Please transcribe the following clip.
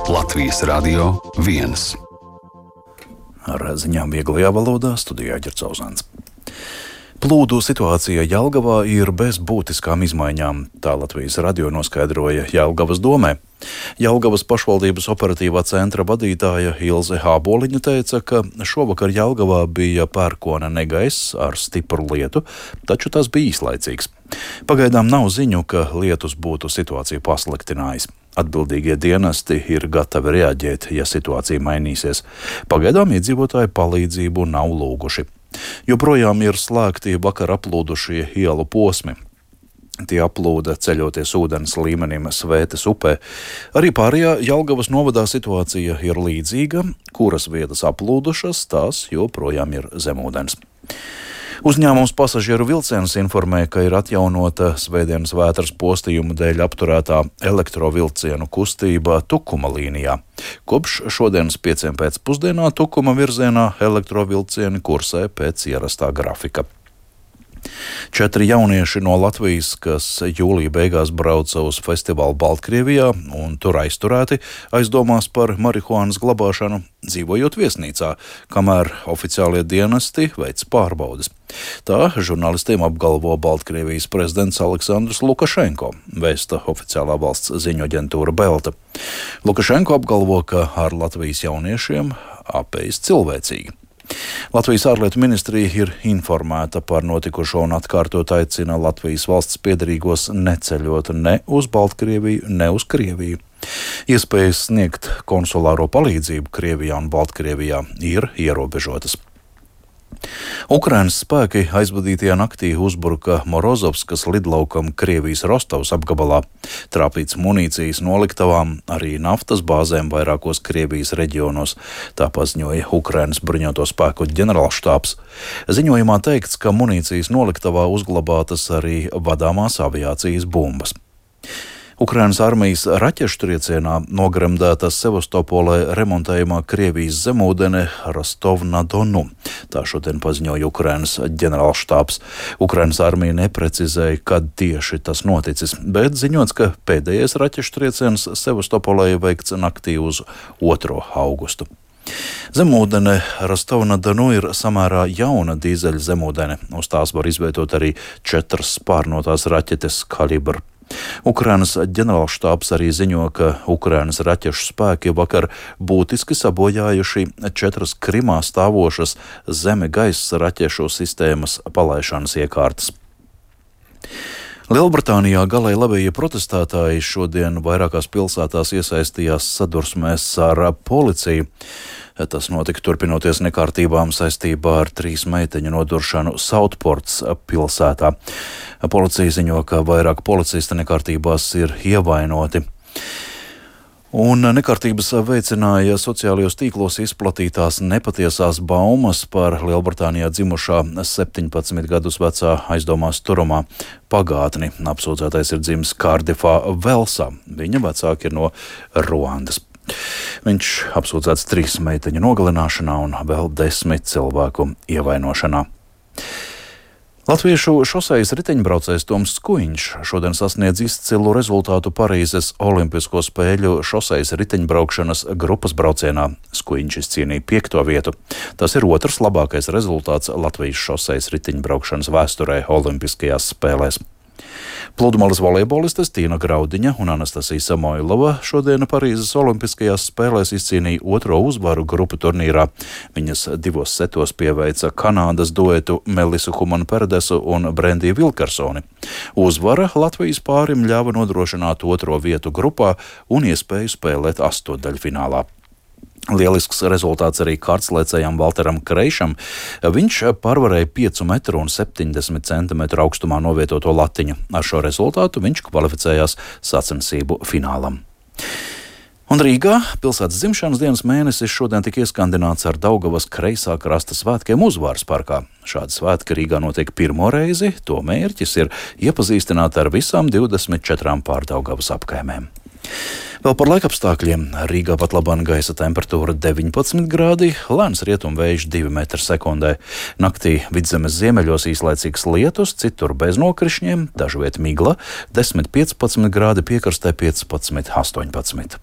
Latvijas Radio 1. Ar ziņām vieglajā valodā studijā Ģercauzāns. Plūdu situācija Jelgavā ir bez būtiskām izmaiņām, tā Latvijas radio noskaidroja Jelgavas domē. Jelgavas pašvaldības operatīvā centra vadītāja Ilze Hāboliņa teica, ka šovakar Jelgavā bija pērkona negaiss ar stipru lietu, taču tas bija īslaicīgs. Pagaidām nav ziņu, ka lietus būtu situāciju pasliktinājis. Atbildīgie dienesti ir gatavi reaģēt, ja situācija mainīsies. Pagaidām iedzīvotāji palīdzību nav lūguši. Joprojām ir slēgti vakar aplūdušie ielu posmi. Tie aplūda ceļoties ūdens līmenim Svētes upē. Arī pārējā Jelgavas novadā situācija ir līdzīga, kuras vietas aplūdušas, tās joprojām ir zemūdens. Uzņēmums Pasažieru vilciens informē, ka ir atjaunota svētdienas vētras postījumu dēļ apturētā elektrovilcienu kustība Tukuma līnijā. Kopš šodienas 5 pēcpusdienā Tukuma virzienā elektrovilcieni kursē pēc ierastā grafika. 4 jaunieši no Latvijas, kas jūlija beigās brauca uz festivālu Baltkrievijā un tur aizturēti, aizdomās par marihuānas glabāšanu, dzīvojot viesnīcā, kamēr oficiālie dienesti veic pārbaudes. Tā žurnālistiem apgalvo Baltkrievijas prezidents Aleksandrs Lukašenko, vēsta oficiālā valsts ziņu aģentūra Belta. Lukašenko apgalvo, ka ar Latvijas jauniešiem apējas cilvēcīgi. Latvijas ārlietu ministrija ir informēta par notikušo un atkārtot aicina Latvijas valsts piederīgos neceļot ne uz Baltkrieviju, ne uz Krieviju. Iespējas sniegt konsulāro palīdzību Krievijā un Baltkrievijā ir ierobežotas. Ukrainas spēki aizvadītajā naktī uzbruka Morozovskas lidlaukam Krievijas Rostovas apgabalā, trāpīts munīcijas noliktavām, arī naftas bāzēm vairākos Krievijas reģionos, tā paziņoja Ukrainas bruņoto spēku ģenerālštābs. Ziņojumā teikts, ka munīcijas noliktavā uzglabātas arī vadāmās aviācijas bumbas. Ukrainas armijas raķešu triecienā nogremdēta Sevastopolē remontējumā Krievijas zemūdene Rostov-na-Donu. Tā šodien paziņoja Ukrainas ģenerālštābs. Ukrainas armija neprecizēja, kad tieši tas noticis, bet ziņots, ka pēdējais raķešu trieciens Sevastopolē veikts naktī uz 2. augustu. Zemūdene Rostov-na-Donu ir samērā jauna dīzeļa zemūdene. Uz tās var izvietot arī 4 spārnotās raķetes kalibra. Ukrainas ģenerālštābs arī ziņo, ka Ukrainas raķešu spēki vakar būtiski sabojājuši 4 Krimā stāvošas zeme-gaisa raķešu sistēmas palaišanas iekārtas. Lielbritānijā galēji labējie protestētāji šodien vairākās pilsētās iesaistījās sadursmēs ar policiju. Tas notika turpinoties nekārtībām saistībā ar 3 meiteņu noduršanu Sautports pilsētā. Policija ziņo, ka vairāk policisti nekārtībās ir ievainoti. Un nekārtības veicināja sociālajos tīklos izplatītās nepatiesās baumas par Lielbritānijā dzimušā 17 gadus vecā aizdomās turamā pagātni. Apsūdzētais ir dzimis Kārdifā, Velsā. Viņa vecāki ir no Ruandas. Viņš apsūdzēts 3 meiteņu nogalināšanā un vēl 10 cilvēku ievainošanā. Latviešu šosejas riteņbraucējs Toms Skuiņš šodien sasniedz izcilu rezultātu Parīzes Olimpisko spēļu šosejas riteņbraukšanas grupas braucienā. Skuiņš izcīnīja 5. vietu. Tas ir 2. labākais rezultāts Latvijas šosejas riteņbraukšanas vēsturē Olimpiskajās spēlēs. Pludmales volejbolistes Tīna Graudiņa un Anastasija Samoilova šodien Parīzes Olimpiskajās spēlēs izcīnīja 2. uzvaru grupu turnīrā. Viņas 2 setos pieveica Kanādas duetu Melisu Humanu-Perdesu un Brendiju Vilkarsoni. Uzvara Latvijas pārim ļāva nodrošināt 2. vietu grupā un iespēju spēlēt 8-daļfinālā. Lielisks rezultāts arī kārtslēcējam Valteram Kreišam. Viņš pārvarēja 5,70 m augstumā novietoto latiņu. Ar šo rezultātu viņš kvalificējās sacensību finālam. Un Rīgā pilsētas dzimšanas dienas mēnesis šodien tika ieskandināts ar Daugavas kreisā krasta svētkiem Uzvaras parkā. Šādi svētki Rīgā notiek pirmo reizi, to mērķis ir iepazīstināt ar visām 24 pārdaugavas apkaimēm. Vēl par laikapstākļiem. Rīgā pat labāk gaisa temperatūra 19 grādi, lēns rietumvējš 2 m/s. Naktī Vidzemes ziemeļos īslaicīgs lietus, citur bez nokrišņiem, dažviet migla, 10-15 grādi, piekrastē 15-18.